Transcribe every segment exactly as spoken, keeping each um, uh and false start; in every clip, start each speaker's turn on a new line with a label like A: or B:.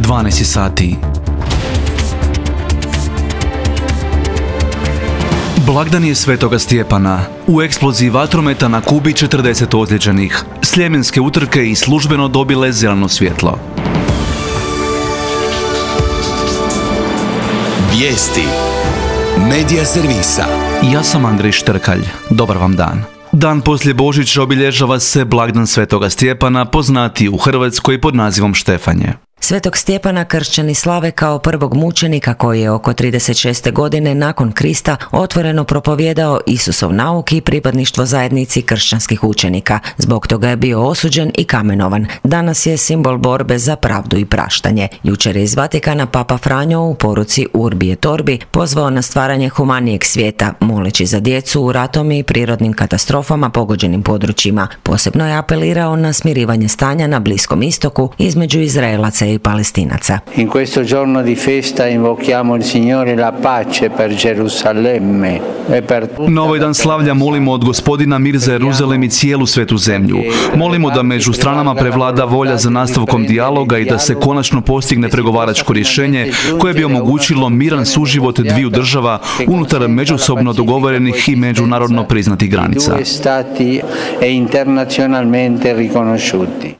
A: dvanaest sati. Blagdan je Svetoga Stjepana. U eksploziji vatrometa na Kubi četrdeset ozlijeđenih. Sljemenske utrke i službeno dobile zeleno svjetlo.
B: Vijesti Medija servisa.
A: Ja sam Andrej Štrkalj. Dobar vam dan. Dan poslije Božića obilježava se blagdan Svetoga Stjepana, poznatiji u Hrvatskoj pod nazivom Štefanje.
C: Svetog Stjepana kršćani slave kao prvog mučenika koji je oko trideset šeste godine nakon Krista otvoreno propovijedao Isusov nauk i pripadništvo zajednici kršćanskih učenika. Zbog toga je bio osuđen i kamenovan. Danas je simbol borbe za pravdu i praštanje. Jučer je iz Vatikana Papa Franjo u poruci Urbi et Orbi pozvao na stvaranje humanijeg svijeta, moleći za djecu u ratom i prirodnim katastrofama pogođenim područjima. Posebno je apelirao na smirivanje stanja na Bliskom istoku između Izraelaca i Palestinaca.
D: In questo giorno di festa invochiamo il Signore la pace per Gerusalemme e per tutta.
A: Na ovaj dan slavlja molimo od Gospodina mir za Jeruzalem i cijelu svetu zemlju. Molimo da među stranama prevlada volja za nastavkom dijaloga i da se konačno postigne pregovaračko rješenje koje bi omogućilo miran suživot dviju država unutar međusobno dogovorenih i međunarodno priznatih granica.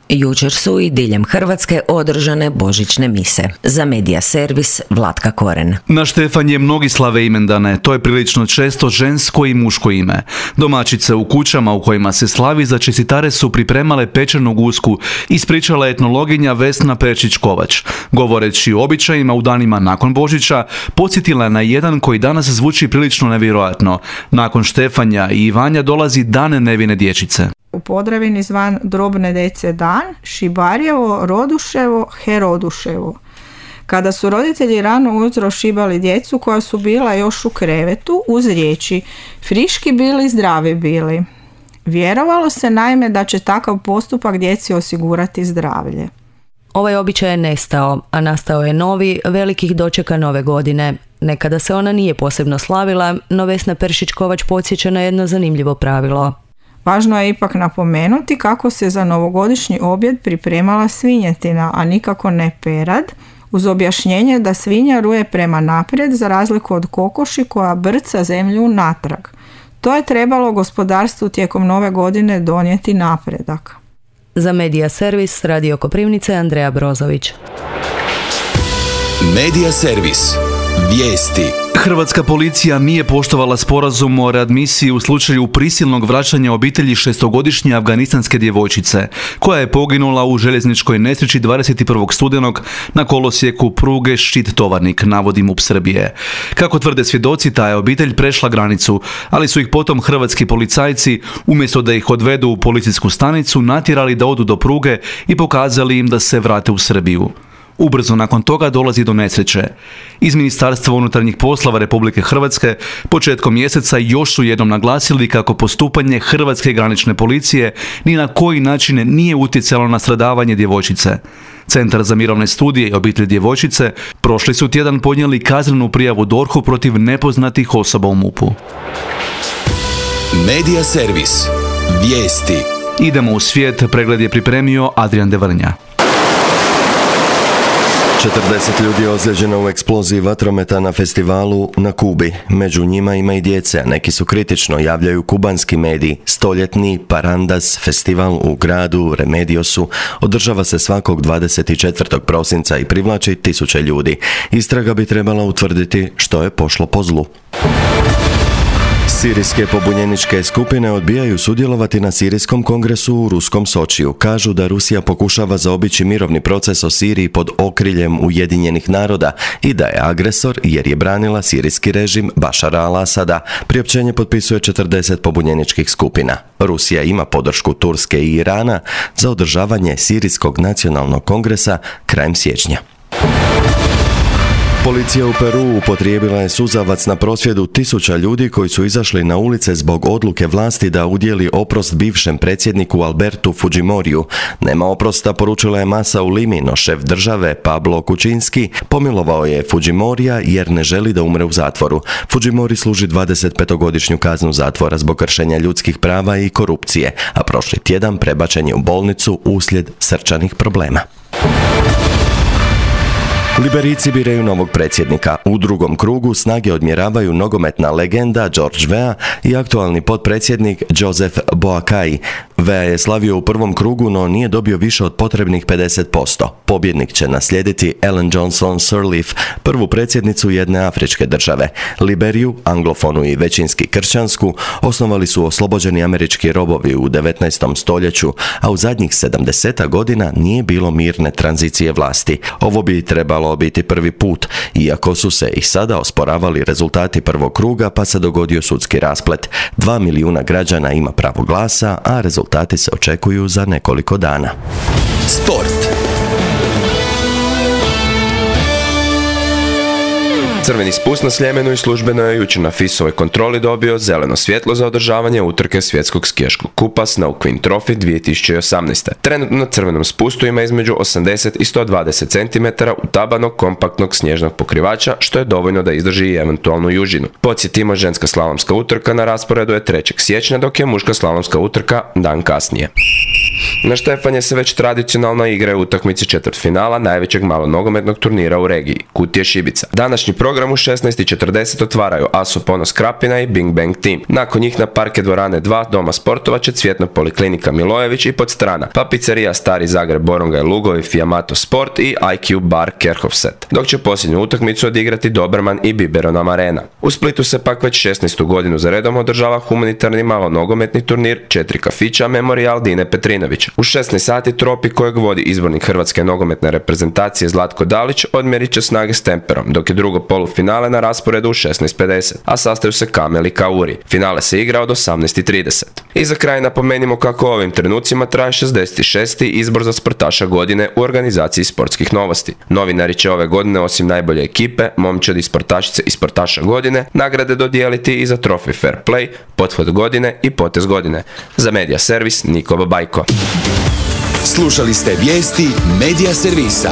C: Jučer su i diljem Hrvatske održane božićne mise. Za Medija servis Vlatka Koren.
A: Na Štefanje mnogi slave imendane, to je prilično često žensko i muško ime. Domaćice u kućama u kojima se slavi za čestitare su pripremale pečenu gusku, ispričala etnologinja Vesna Pečić-Kovač. Govoreći o običajima u danima nakon Božića, podsjetila je na jedan koji danas zvuči prilično nevjerojatno. Nakon Štefanja i Ivanja dolazi Dan nevine dječice.
E: U Podravini zvan drobne dece dan, Šibarjevo, Roduševo, Heroduševo. Kada su roditelji rano ujutro šibali djecu koja su bila još u krevetu uz riječi friški bili, zdravi bili. Vjerovalo se naime da će takav postupak djeci osigurati zdravlje.
F: Ovaj običaj je nestao, a nastao je novi, velikih dočeka nove godine. Nekada se ona nije posebno slavila, no Vesna Peršić-Kovač podsjeća na jedno zanimljivo pravilo.
E: Važno je ipak napomenuti kako se za novogodišnji objed pripremala svinjetina, a nikako ne perad, uz objašnjenje da svinja ruje prema naprijed za razliku od kokoši koja brca zemlju natrag. To je trebalo gospodarstvu tijekom nove godine donijeti napredak.
F: Za Medija servis Radio Koprivnice Andreja Brozović.
B: Medija servis. Vijesti.
A: Hrvatska policija nije poštovala sporazum o readmisiji u slučaju prisilnog vraćanja obitelji šestogodišnje afganistanske djevojčice, koja je poginula u željezničkoj nesreći dvadeset prvog studenog na kolosijeku pruge Ščit-Tovarnik, navodi MUP Srbije. Kako tvrde svjedoci, ta je obitelj prešla granicu, ali su ih potom hrvatski policajci, umjesto da ih odvedu u policijsku stanicu, natjerali da odu do pruge i pokazali im da se vrate u Srbiju. Ubrzo nakon toga dolazi do nesreće. Iz Ministarstva unutarnjih poslova Republike Hrvatske početkom mjeseca još su jednom naglasili kako postupanje Hrvatske granične policije ni na koji način nije utjecalo na stradavanje djevojčice. Centar za mirovne studije i obitelj djevojčice prošli su tjedan podnijeli kaznenu prijavu D O R H-u protiv nepoznatih osoba u MUP-u.
B: Medija servis. Vijesti.
A: Idemo u svijet, pregled je pripremio Adrian Devrnja.
G: četrdeset ljudi je ozlijeđeno u eksploziji vatrometa na festivalu na Kubi. Među njima ima i djece, a neki su kritično, javljaju kubanski mediji. Stoljetni Parandas festival u gradu Remediosu održava se svakog dvadeset četvrtog prosinca i privlači tisuće ljudi. Istraga bi trebala utvrditi što je pošlo po zlu. Sirijske pobunjeničke skupine odbijaju sudjelovati na Sirijskom kongresu u ruskom Sočiju. Kažu da Rusija pokušava zaobići mirovni proces o Siriji pod okriljem Ujedinjenih naroda i da je agresor jer je branila sirijski režim Bašara al-Asada. Priopćenje potpisuje četrdeset pobunjeničkih skupina. Rusija ima podršku Turske i Irana za održavanje Sirijskog nacionalnog kongresa krajem siječnja. Policija u Peruu upotrijebila je suzavac na prosvjedu tisuća ljudi koji su izašli na ulice zbog odluke vlasti da udjeli oprost bivšem predsjedniku Albertu Fujimoriju. Nema oprosta, poručila je masa u Limi, no šef države Pablo Kučinski pomilovao je Fujimorija jer ne želi da umre u zatvoru. Fujimori služi dvadesetpetogodišnju kaznu zatvora zbog kršenja ljudskih prava i korupcije, a prošli tjedan prebačen je u bolnicu uslijed srčanih problema. Liberijci biraju novog predsjednika. U drugom krugu snage odmjeravaju nogometna legenda George Weah i aktualni potpredsjednik Joseph Boakai. Weah je slavio u prvom krugu, no nije dobio više od potrebnih pedeset posto. Pobjednik će naslijediti Ellen Johnson Sirleaf, prvu predsjednicu jedne afričke države. Liberiju, anglofonu i većinski kršćansku, osnovali su oslobođeni američki robovi u devetnaestom stoljeću, a u zadnjih sedamdeset godina nije bilo mirne tranzicije vlasti. Ovo bi trebalo biti prvi put, iako su se i sada osporavali rezultati prvog kruga pa se dogodio sudski rasplet. Dva milijuna građana ima pravo glasa, a rezultati se očekuju za nekoliko dana.
B: Sport.
H: Crveni spust na Sljemenu i službeno je jučer na FIS-ovoj kontroli dobio zeleno svjetlo za održavanje utrke svjetskog skijaškog kupa Snow Queen Trophy dvije tisuće osamnaeste. Trenutno na crvenom spustu ima između osamdeset i sto dvadeset centimetara utabanog kompaktnog snježnog pokrivača, što je dovoljno da izdrži i eventualnu južinu. Podsjetimo, ženska slalomska utrka na rasporedu je trećeg siječnja, dok je muška slalomska utrka dan kasnije. Na Štefanje se već tradicionalno igraju utakmice četvrtfinala najvećeg malonogometnog turnira u regiji, Kutije Šibica. Današnji program u šesnaest i četrdeset otvaraju Aso Ponos Krapina i Bing Bang Team. Nakon njih na parke dvorane dva Doma sportova će Cvjetna poliklinika Milojević i Podstrana, pa pizzerija Stari Zagreb Boronga i Lugovi Fiamato Sport i I Q Bar Kerhofset, dok će posljednju utakmicu odigrati Doberman i Biberonam Arena. U Splitu se pak već šesnaestu godinu za redom održava humanitarni malonogometni turnir Četiri kafića Memorial Dine Petrinović. U šesnaest sati tropi kojeg vodi izbornik Hrvatske nogometne reprezentacije Zlatko Dalić odmjerit će snage s Temperom, dok je drugo polufinale na rasporedu u šesnaest pedeset, a sastaju se Kamel i Kauri. Finale se igra od osamnaest i trideset. I za kraj napomenimo kako u ovim trenucima traje šezdeset šesti izbor za sportaša godine u organizaciji Sportskih novosti. Novinari će ove godine osim najbolje ekipe, momčadi, sportašice i sportaša godine nagrade dodijeliti i za Trophy Fair Play, pothvat godine i potez godine. Za Medija servis Niko Babajko.
B: Slušali ste vijesti Medija servisa.